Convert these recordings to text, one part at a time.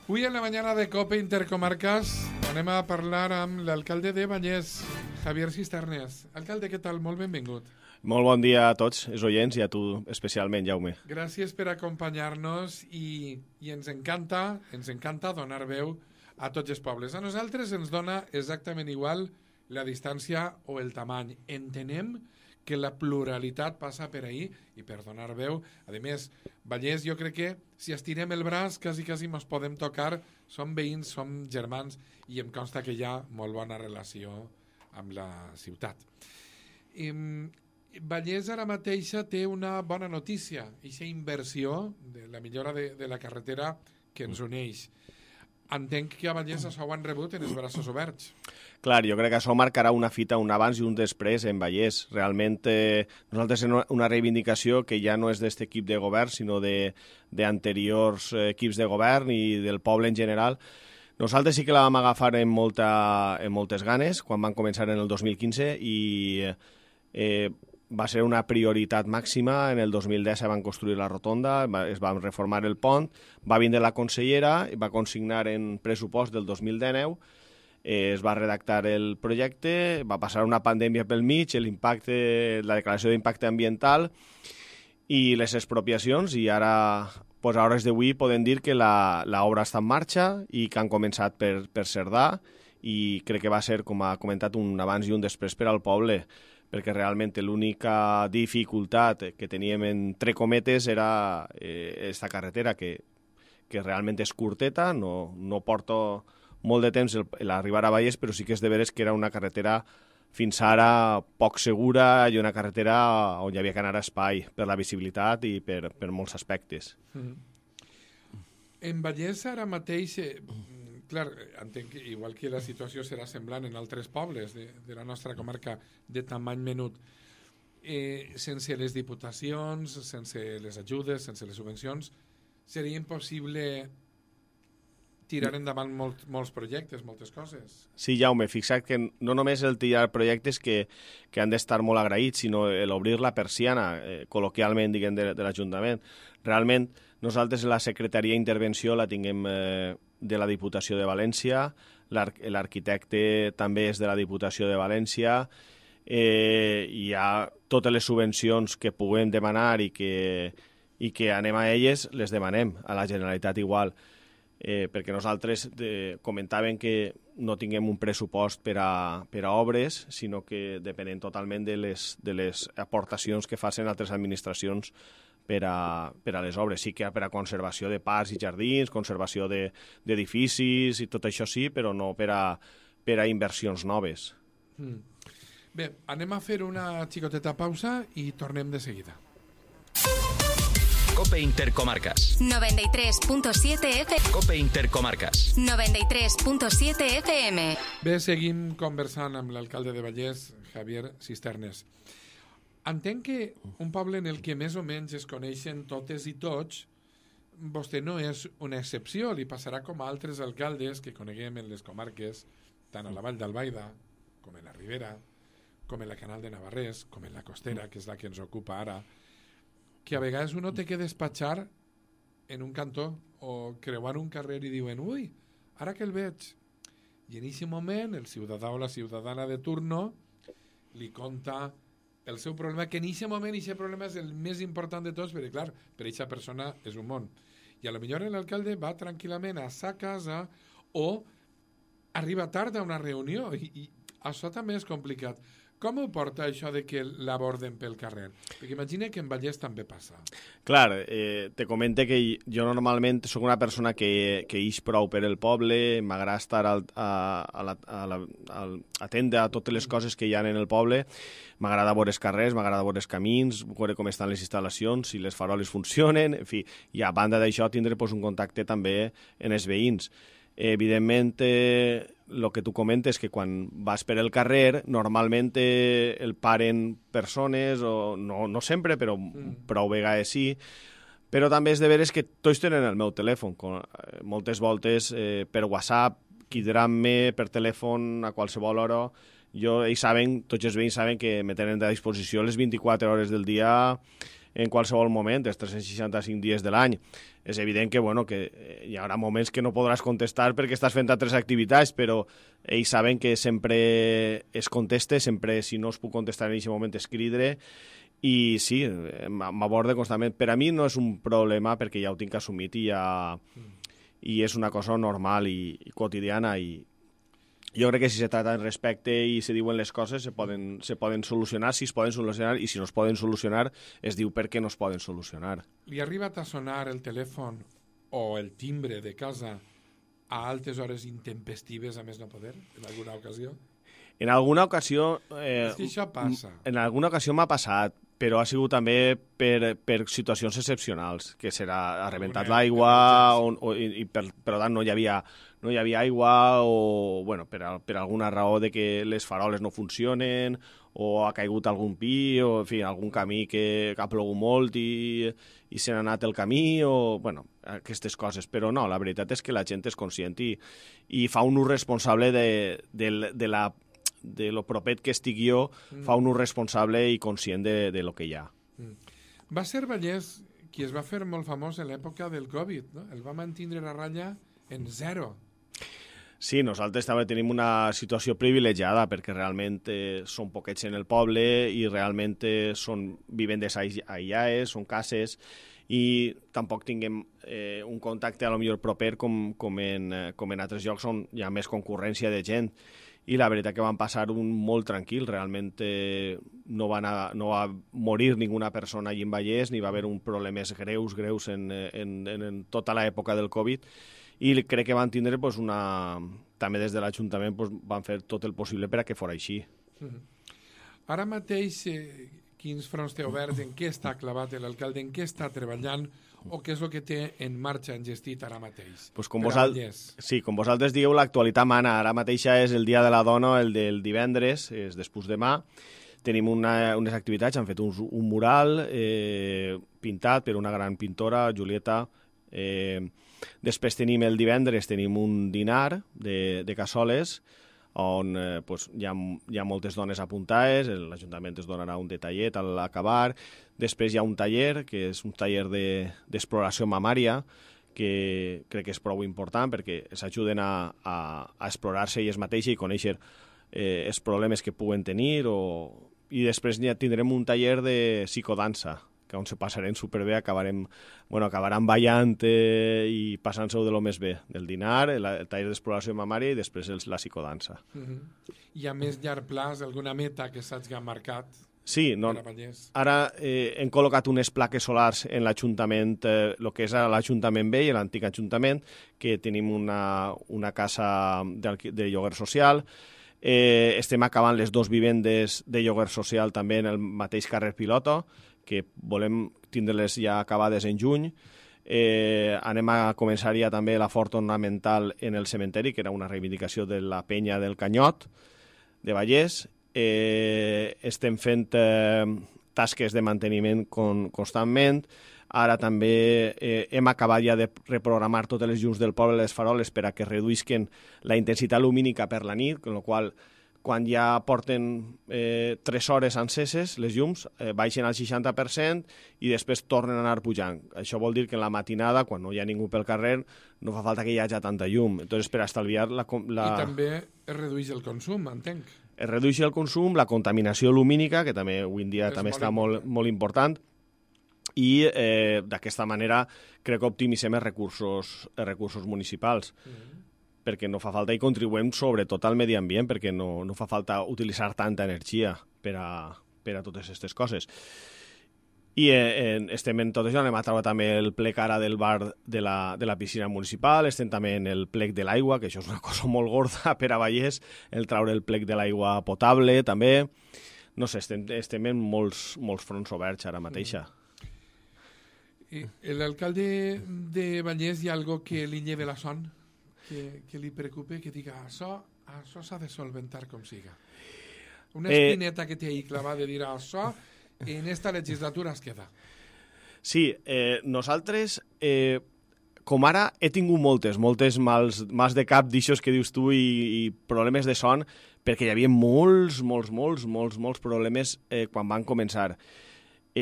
Avui en la mañana de COPE Intercomarcas anem a parlar amb l'alcalde de Vallès, Javier Cisternes. Alcalde, què tal? Molt benvingut. Molt bon dia a tots els oients i a tu especialment, Jaume. Gràcies per acompanyar-nos i ens encanta donar veu a tots els pobles. A nosaltres ens dona exactament igual la distància o el tamany. Entenem que la pluralitat passa per ahí i per donar veu. A més, Vallès, jo crec que si estirem el braç quasi ens podem tocar, som veïns, som germans i em consta que hi ha molt bona relació amb la ciutat. Vallès ara mateixa té una bona notícia, aquesta inversió de la millora de la carretera que ens uneix. Entenc que a Vallès això ho han rebut en els braços oberts. Clar, jo crec que això marcarà una fita, un abans i un després en Vallès. Realment, nosaltres tenim una reivindicació que ja no és d'aquest equip de govern, sinó d'anteriors equips de govern i del poble en general. Nosaltres sí que la vam agafar amb moltes ganes, quan van començar en el 2015, i va ser una prioritat màxima. En el 2010 se van construir la rotonda, es va reformar el pont, va vindre la consellera i va consignar en pressupost del 2019, es va redactar el projecte, va passar una pandèmia pel mig, la declaració d'impacte ambiental i les expropiacions, i ara, a hores d'avui, podem dir que l'obra està en marxa i que han començat per Cerdà, i crec que va ser, com ha comentat, un abans i un després per al poble, perquè realment l'única dificultat que teníem entre cometes era aquesta carretera, que realment és curteta, no porta molt de temps l'arribar a Vallès, però sí que és de veres que era una carretera fins ara poc segura i una carretera on hi havia que anar a espai per la visibilitat i per molts aspectes. En Vallès ara mateix, clar, entenc que igual que la situació serà semblant en altres pobles de la nostra comarca de tamany menut, sense les diputacions, sense les ajudes, sense les subvencions, seria impossible tirar endavant molts projectes, moltes coses. Sí, Jaume, fixa't que no només el tirar projectes que han d'estar molt agraïts, sinó l'obrir la persiana, col·loquialment, diguem, de l'Ajuntament. Realment, nosaltres la Secretaria d'Intervenció la tinguem de la Diputació de València, l'arquitecte també és de la Diputació de València, hi ha totes les subvencions que puguem demanar i que anem a elles, les demanem, a la Generalitat igual. Perquè nosaltres comentàvem que no tinguem un pressupost per a obres, sinó que depenem totalment de les aportacions que facin altres administracions per a les obres. Sí que per a conservació de parcs i jardins, conservació d'edificis i tot això sí, però no per a inversions noves. Bé, anem a fer una xicoteta pausa i tornem de seguida. COPE Intercomarcas 93.7 FM. COPE Intercomarcas 93.7 FM. Bé, seguim conversant amb l'alcalde de Vallès, Javier Cisternes. Entenc que un poble en el que més o menys es coneixen totes i tots, vostè no és una excepció, li passarà com a altres alcaldes que coneguem en les comarques, tant a la Vall d'Albaida, com en la Ribera, com en la Canal de Navarrés, com en la Costera, que és la que ens ocupa ara, que a vegades uno té que despatxar en un cantó o creuar un carrer i diuen, ui, ara que el veig. I en aquest moment el ciutadà o la ciutadana de turno li conta el seu problema, que en aquest moment aquest problema és el més important de tots, perquè clar, per aquesta persona és un món. I a lo millor l'alcalde va tranquil·lament a sa casa o arriba tard a una reunió i això també és complicat. Com ho porta això de que l'aborden pel carrer? Perquè imagina que en Vallès també passa. Clar, te comente que jo normalment soc una persona que ix prou per el poble, m'agrada estar atenta a totes les coses que hi ha en el poble, m'agrada veure els carrers, m'agrada veure els camins, veure com estan les instal·lacions, si les faroles funcionen, en fi, i a banda d'això tindre un contacte també en els veïns. Evidentment, el que tu comentes, que quan vas per el carrer, normalment el paren persones, o no sempre, però prou vegades sí, però també és de veres que tots tenen el meu telèfon. Moltes voltes per WhatsApp, cridant-me per telèfon a qualsevol hora. Ells saben, tots els veïns saben que me tenen a disposició les 24 hores del dia en qualsevol moment, els 365 dies de l'any. És evident que, bueno, que hi haurà moments que no podràs contestar perquè estàs fent altres activitats, però ells saben que sempre es conteste, sempre, si no es puc contestar en aquest moment, es cridre, i sí, m'aborde constantment. Per a mi no és un problema perquè ja ho tinc assumit i és una cosa normal i quotidiana, i jo crec que si se trata en respecte i se diuen les coses se poden solucionar, si es poden solucionar, i si no es poden solucionar es diu per què no es poden solucionar. Li ha arribat a sonar el telèfon o el timbre de casa a altes hores intempestives a més no poder, en alguna ocasió? En alguna ocasió... És que això passa. En alguna ocasió m'ha passat, però ha sigut també per situacions excepcionals, que ha rebentat l'aigua, i per tant no hi havia aigua, o bueno, per alguna raó de que les faroles no funcionen, o ha caigut algun pi, o en fi, algun camí que ha plogut molt i se n'ha anat el camí, o bueno, aquestes coses. Però no, la veritat és que la gent és conscient i fa un ús responsable de lo propet que estic jo, fa un ús responsable i conscient de lo que hi ha. Va ser Vallès qui es va fer molt famós en l'època del Covid, no? El va mantindre a ratlla en 0. Sí, nosaltres també tenim una situació privilegiada perquè realment són poquets en el poble i realment són vivendes aïllades, són cases, i tampoc tinguem un contacte a lo millor proper com en altres llocs on hi ha més concurrència de gent. I la veritat que van passar un molt tranquil, realment no va morir ninguna persona allí en Vallès, ni va haver un problemes greus en tota l'època del Covid, i crec que van tindre també des de l'Ajuntament van fer tot el possible per a que fos així. Ara mateix, quins fronts té oberts, en què està clavat l'alcalde, en què està treballant, o què és el que té en marxa engestit ara mateix? Com vosaltres digueu, l'actualitat mana. Ara mateixa és el Dia de la Dona, el del divendres, és després demà. Tenim unes activitats, han fet un mural pintat per una gran pintora, Julieta. Després tenim el divendres un dinar de cassoles, on hi ha moltes dones apuntades, l'Ajuntament es donarà un detallet a l'acabar. Després hi ha un taller, que és un taller d'exploració mamària, que crec que és prou important perquè s'ajuden a explorar-se ells mateixes i conèixer els problemes que puguen tenir. I després tindrem un taller de psicodansa, on se passarem superbé, acabaran ballant i passant-se-ho de lo més bé, del dinar, el taller d'exploració mamària i després la psicodansa. Hi ha més llarg plaç, alguna meta que s'hagi marcat? Sí, ara hem col·locat unes plaques solars en l'Ajuntament, el que és l'Ajuntament vell, l'antic Ajuntament, que tenim una casa de lloguer social. Estem acabant les 2 vivendes de lloguer social també en el mateix carrer Pilota, que volem tindre-les ja acabades en juny. Anem a començar ja també la fort ornamental en el cementeri, que era una reivindicació de la penya del Canyot de Vallès. Estem fent tasques de manteniment constantment. Ara també hem acabat ja de reprogramar totes les llums del poble, les faroles, per a que reduïsquen la intensitat lumínica per la nit, amb la qual quan ja porten 3 hores enceses, les llums baixen al 60% i després tornen a anar pujant. Això vol dir que en la matinada, quan no hi ha ningú pel carrer, no fa falta que hi hagi tanta llum. Entonces, per estalviar I també es redueix el consum, entenc. Es redueix el consum, la contaminació lumínica, que també avui en dia també està molt important, i d'aquesta manera crec que optimitzem els recursos municipals. Perquè no fa falta i contribuem sobretot al medi ambient, perquè no fa falta utilitzar tanta energia per a totes aquestes coses. I estem en tot això, anem a treure també el plec ara del bar de la piscina municipal, estem també en el plec de l'aigua, que això és una cosa molt gorda per a Vallès, el treure el plec de l'aigua potable també. No sé, estem en molts fronts oberts ara mateixa. L'alcalde de Vallès, hi ha algo que li lleve la son? Que li preocupe, que diga això s'ha de solventar com siga. Una espineta que té ahí clavada de dir això en esta legislatura es queda. Sí, nosaltres, com ara, he tingut moltes mals de cap d'aixòs que dius tu i problemes de son, perquè hi havia molts problemes quan van començar.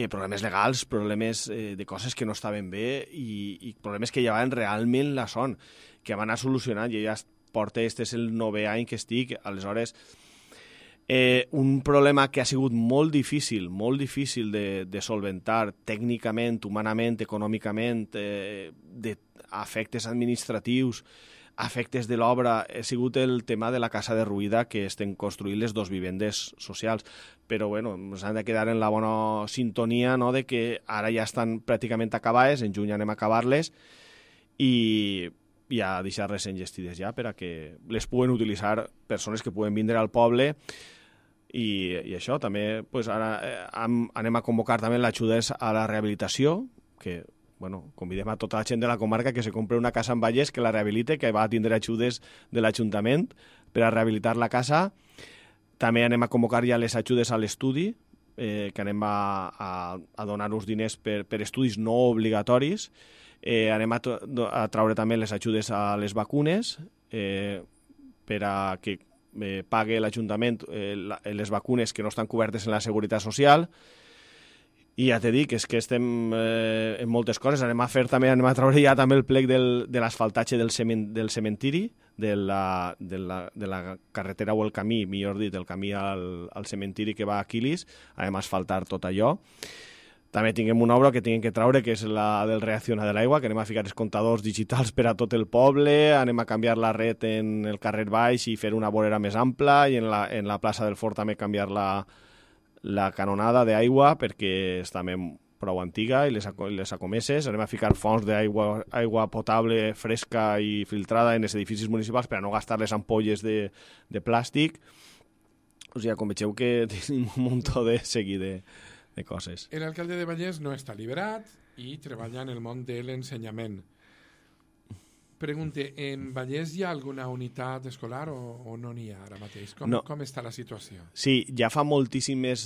problemes legals, problemes de coses que no estaven bé i problemes que llevaven realment la son, que van a solucionar. Jo ja porto, este és el 9è any que estic, aleshores un problema que ha sigut molt difícil de solventar tècnicament, humanament, econòmicament, d'afectes administratius, afectes de l'obra, ha sigut el tema de la casa derruïda, que estem construint les 2 vivendes socials. Però bueno, ens han de quedar en la bona sintonia, no?, de que ara ja estan pràcticament acabades, en juny anem a acabar-les i a deixar-les enllestides ja per a que les puguen utilitzar persones que puguen vindre al poble. I això també, pues ara anem a convocar també l'ajudes a la rehabilitació, que bueno, convidem a tota la gent de la comarca que se compre una casa en Vallès, que la rehabilite, que va tindre ajudes de l'Ajuntament per a rehabilitar la casa. També anem a convocar ja les ajudes a l'estudi, que anem a donar-nos diners per estudis no obligatoris. Anem a traure també les ajudes a les vacunes, per a que pague l'Ajuntament les vacunes que no estan cobertes en la Seguretat Social. I ja t'he dit que és que estem en moltes coses. Anem a traure ja també el plec de l'asfaltatge del cementiri, de la carretera o el camí, millor dit, el camí al cementiri que va a Aquilis. Anem a asfaltar tot allò. També tinguem una obra que tinguem que traure, que és la del reacciona de l'aigua, que anem a ficar els comptadors digitals per a tot el poble, anem a canviar la red en el carrer baix i fer una vorera més ampla, i en la plaça del Fort també canviar la canonada d'aigua, perquè està prou antiga, i les acomeses. Anem a ficar fonts d'aigua potable, fresca i filtrada en els edificis municipals per a no gastar les ampolles de plàstic. O sigui, com vegeu que tenim un munt de seguir de coses. L'alcalde de Vallès no està liberat i treballa en el món de l'ensenyament. Pregunte, en Vallès hi ha alguna unitat escolar o no n'hi ha ara mateix? Com està la situació? Sí, ja fa moltíssimes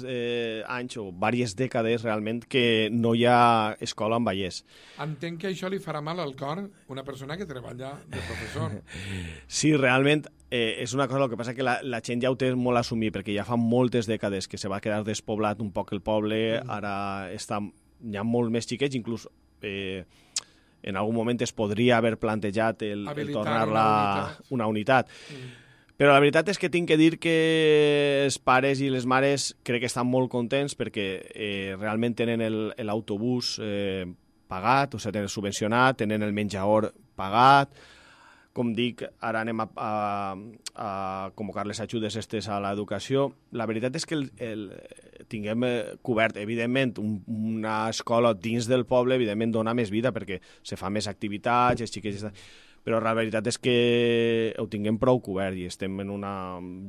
anys o diverses dècades realment que no hi ha escola en Vallès. Entenc que això li farà mal al cor una persona que treballa de professor. Sí, realment és una cosa, el que passa que la gent ja ho té molt assumit, perquè ja fa moltes dècades que se va quedar despoblat un poc el poble, ara hi ha molt més xiquets, inclús en algun moment es podria haver plantejat el tornar-la una unitat. Però la veritat és que tinc que dir que els pares i les mares crec que estan molt contents perquè realment tenen l'autobús pagat, o sigui, tenen subvencionat, tenen el menjador pagat. Com dic, ara anem a convocar les ajudes estes a l'educació. La veritat és que tinguem cobert, evidentment, una escola dins del poble, evidentment dona més vida perquè se fa més activitats, els xiquets... Però la veritat és que ho tinguem prou cobert i estem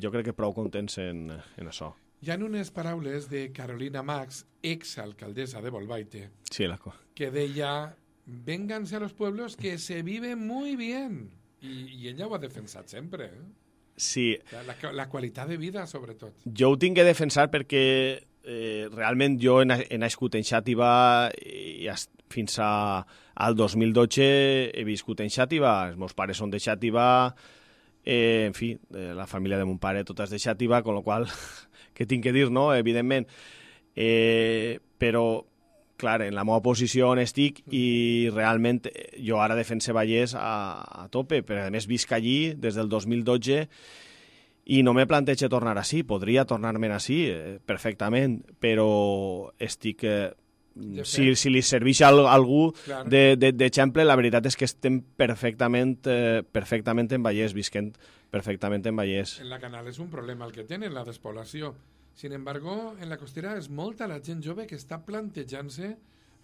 jo crec que prou contents en això. Hi ha unes paraules de Carolina Max, exalcaldesa de Bolbaite, sí, que deia, vénganse a los pueblos que se vive muy bien. I ella ho ha defensat sempre. Sí. La qualitat de vida, sobretot. Jo ho tinc que defensar perquè realment jo he nascut en Xàtiva i fins al 2012 he viscut en Xàtiva. Els meus pares són de Xàtiva, en fi, la família de mon pare tota és de Xàtiva, con lo qual, què tinc que dir, no? Evidentment. Però clar, en la meva posició on estic i realment jo ara defense Vallès a tope, però a més visc allí des del 2012 i no me plantejo tornar així, podria tornar-me'n així perfectament, però estic... Si li serveix a algú d'exemple, la veritat és que estem perfectament en Vallès, visquent perfectament en Vallès. En la Canal és un problema el que tenen, la despoblació. Sin embargo, en la costera és molta la gent jove que està plantejant-se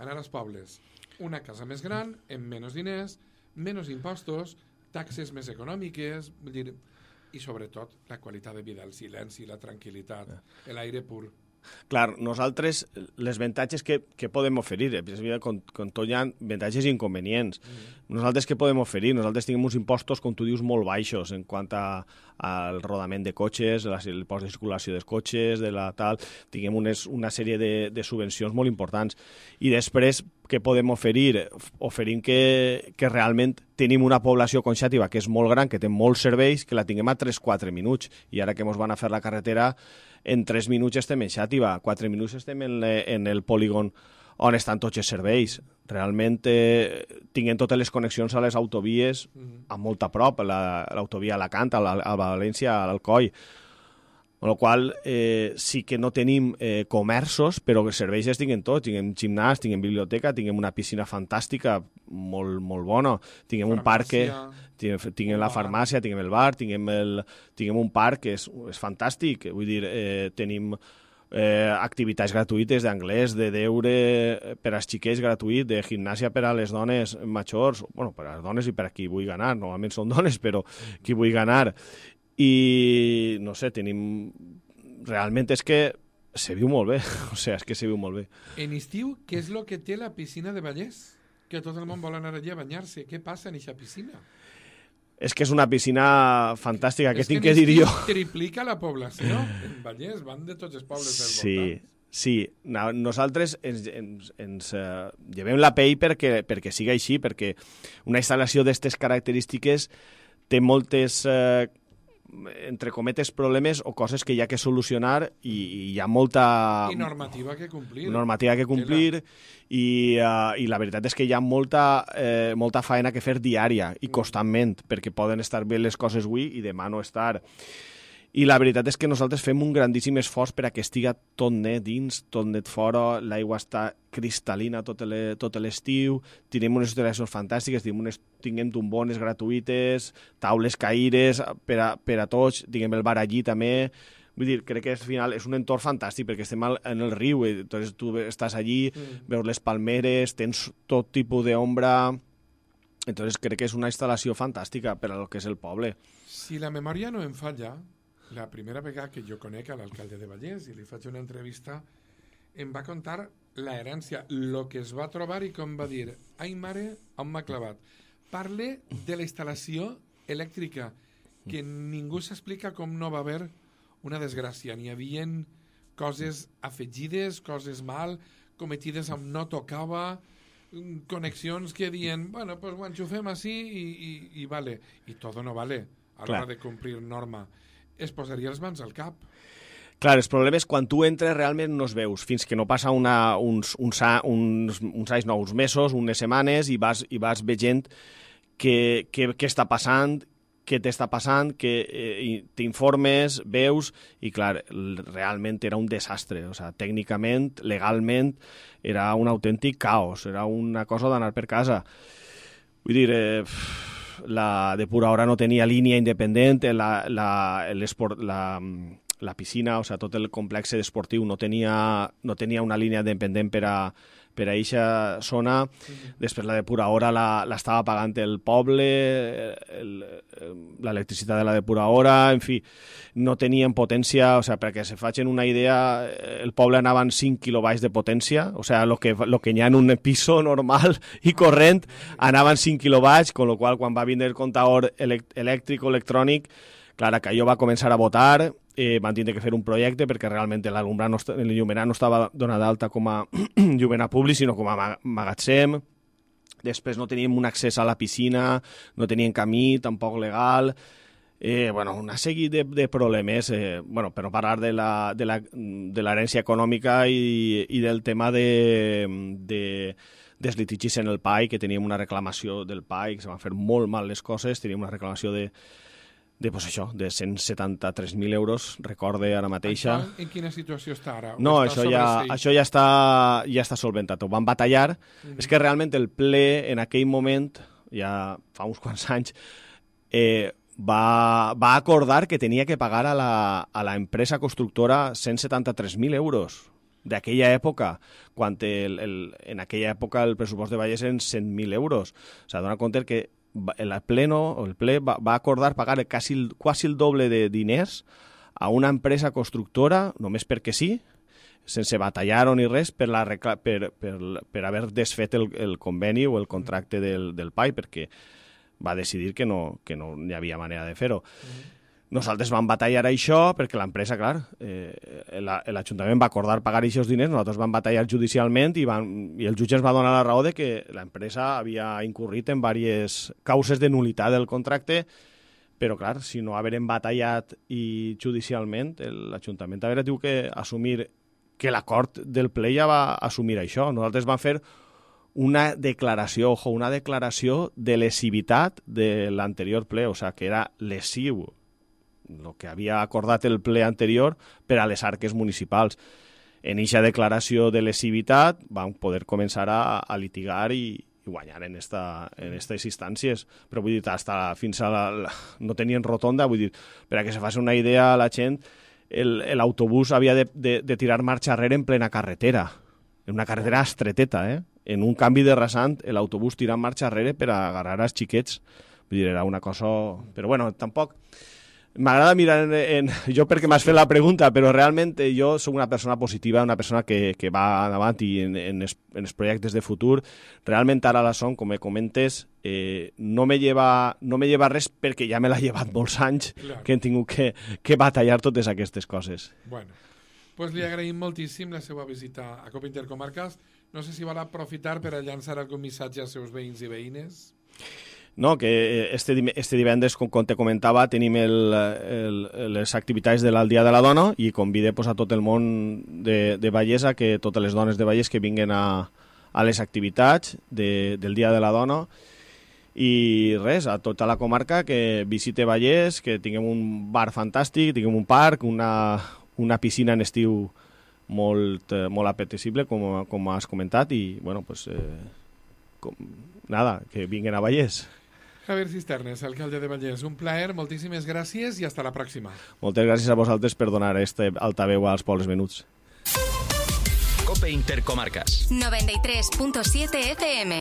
anar als pobles. Una casa més gran, amb menys diners, menys impostos, taxes més econòmiques, i sobretot la qualitat de vida, el silenci, la tranquil·litat, l'aire pur. Clar, nosaltres, les avantatges que podem oferir, com tot hi ha avantatges i inconvenients. Nosaltres què podem oferir? Nosaltres tenim uns impostos, com tu dius, molt baixos en quant al rodament de cotxes, l'impost de circulació dels cotxes, tinguem una sèrie de subvencions molt importants. I després, què podem oferir? Oferim que realment tenim una població con Xàtiva que és molt gran, que té molts serveis, que la tinguem a 3-4 minuts. I ara que ens van a fer la carretera, en 3 minuts estem en Xàtiva, 4 minuts estem en el polígon on estan tots els serveis. Realment tinguem totes les connexions a les autovies a molt a prop, l'autovia a Alacant, a València, a l'Alcoi. Amb la qual sí que no tenim comerços, però els serveis els tinguem tots. Tinguem gimnàs, tinguem biblioteca, tinguem una piscina fantàstica, molt, molt bona. Tinguem un parc, tinguem la farmàcia, tinguem el bar, tinguem un parc que és fantàstic. Vull dir, tenim activitats gratuïtes d'anglès, de deure per als xiquets gratuït, de gimnàsia per a les dones majors, bueno, per a les dones i per a qui vull ganar, normalment són dones, però qui vull ganar. I, no sé, tenim... Realment és que se viu molt bé, o sigui, és que se viu molt bé. En estiu, què és el que té la piscina de Vallès? Que tot el món vol anar allà a banyar-se. Què passa en aquesta piscina? És que és una piscina fantàstica, que tinc que dir jo. Triplica la població. En Vallès van de tots els pobles del voltant. Sí. Nosaltres ens llevem la pell perquè siga així, perquè una instal·lació d'aquestes característiques té moltes, entre cometes, problemes o coses que hi ha que solucionar i hi ha molta... I normativa que complir. Normativa que complir i la veritat és que hi ha molta faena que fer diària i constantment, perquè poden estar bé les coses avui i demà no estar. I la veritat és que nosaltres fem un grandíssim esforç per a que estiga tot net dins, tot net fora, l'aigua està cristal·lina tot l'estiu, tenim unes instal·lacions fantàstiques, tinguem tombones gratuïtes, taules caires per a tots, tinguem el bar allí també. Vull dir, crec que al final és un entorn fantàstic perquè estem en el riu, entonces tu estàs allí, veus les palmeres, tens tot tipus d'ombra, entonces crec que és una instal·lació fantàstica per a lo que és el poble. Si la memòria no em falla, la primera vegada que jo conec a l'alcalde de Vallès i li faig una entrevista, em va contar la herència, el que es va trobar i com va dir, ai mare, on m'ha clavat. Parle de la instal·lació elèctrica, que ningú s'explica com no va haver una desgràcia. N'hi havia coses afegides, coses mal, cometides on no tocava, connexions que diuen, bueno, pues ho enxufem així i vale. I tot no vale a l'hora de complir norma. Es posaria els mans al cap. Clar, el problema és quan tu entres realment no es veus, fins que no passa uns anys, no, uns mesos, unes setmanes, i vas veient què està passant, què t'està passant, que t'informes, veus, i clar, realment era un desastre. O sigui, tècnicament, legalment, era un autèntic caos, era una cosa d'anar per casa. Vull dir... la depuradora no tenia línia independent, la piscina, o sigui, tot el complex esportiu no tenia una línia independent per a eixa zona. Després la depuradora l'estava pagant el poble, l'electricitat de la depuradora, en fi, no tenien potència, o sigui, perquè se facin una idea, el poble anava en 5 quilobytes de potència, o sigui, lo que hi ha en un piso normal i corrent, anava en 5 quilobytes, con lo qual quan va vindre el comptador elèctric o electrònic, clar, que allò va començar a votar, van tindre que fer un projecte perquè realment el llumenat no estava donat d'alta com a llumenat públic, sinó com a magatzem. Després no teníem un accés a la piscina, no teníem camí, tampoc legal. Una sèrie de problemes, per no parlar de l'herència econòmica i del tema dels litigis en el PAI, que teníem una reclamació del PAI, que se van fer molt mal les coses, teníem una reclamació de 173.000 euros, recorde ara mateixa. En quina situació està ara? No, això ja està solventat. Ho van batallar. És que realment el ple en aquell moment, ja fa uns quants anys, va acordar que tenia que pagar a la empresa constructora 173.000 euros d'aquella època, quan en aquella època el pressupost de Vallès eren 100.000 euros. O sigui, dona compte que el ple va acordar pagar quasi el doble de diners a una empresa constructora, només perquè sí. sense batallar ni res per haver desfet el conveni o el contracte del PAI, perquè va decidir que no hi havia manera de fer-ho. Nosaltres vam batallar això perquè l'empresa, clar, l'Ajuntament va acordar pagar aquests diners, nosaltres vam batallar judicialment i el jutge ens va donar la raó de que l'empresa havia incurrit en diverses causes de nulitat del contracte, però, clar, si no haverem batallat i judicialment, l'Ajuntament haurà tingut que assumir que l'acord del ple ja va assumir això. Nosaltres vam fer una declaració de lesivitat de l'anterior ple, o sigui, que era lesiu el que havia acordat el ple anterior per a les arques municipals. En aquesta declaració de lesivitat vam poder començar a litigar i guanyar en aquestes instàncies, però vull dir, fins no tenien rotonda, vull dir, per a que se faci una idea a la gent, l'autobús havia de tirar marxa arrere en plena carretera, en una carretera estreteta, en un canvi de rasant, l'autobús tirant marxa arrere per a agarrar els xiquets. Vull dir, era una cosa... Però bueno, tampoc... M'agrada mirar jo perquè m'has fet la pregunta, però realment jo soc una persona positiva, una persona que va endavant i en els projectes de futur. Realment ara la Son, com me comentes, no me lleva res perquè ja me l'ha llevat molts anys, claro, que hem tingut que batallar totes aquestes coses. Bueno, pues li agraïm moltíssim la seva visita a Copa Intercomarques. No sé si vol aprofitar per a llançar algun missatge als seus veïns i veïnes. No, que este divendres, com te comentava, tenim les activitats del Dia de la Dona i convide a tot el món de Vallès, que totes les dones de Vallès que vinguin a les activitats del Dia de la Dona i res, a tota la comarca que visite Vallès, que tinguem un bar fantàstic, tinguem un parc, una piscina en estiu molt apetecible, com has comentat, i bueno, pues nada, que vinguin a Vallès. Javier Cisternes, alcalde de Vallès, un plaer, moltíssimes gràcies i hasta la pròxima. Moltes gràcies a vosaltres per donar este altaveu als pobles menuts. Cope Intercomarques. 93.7 FM.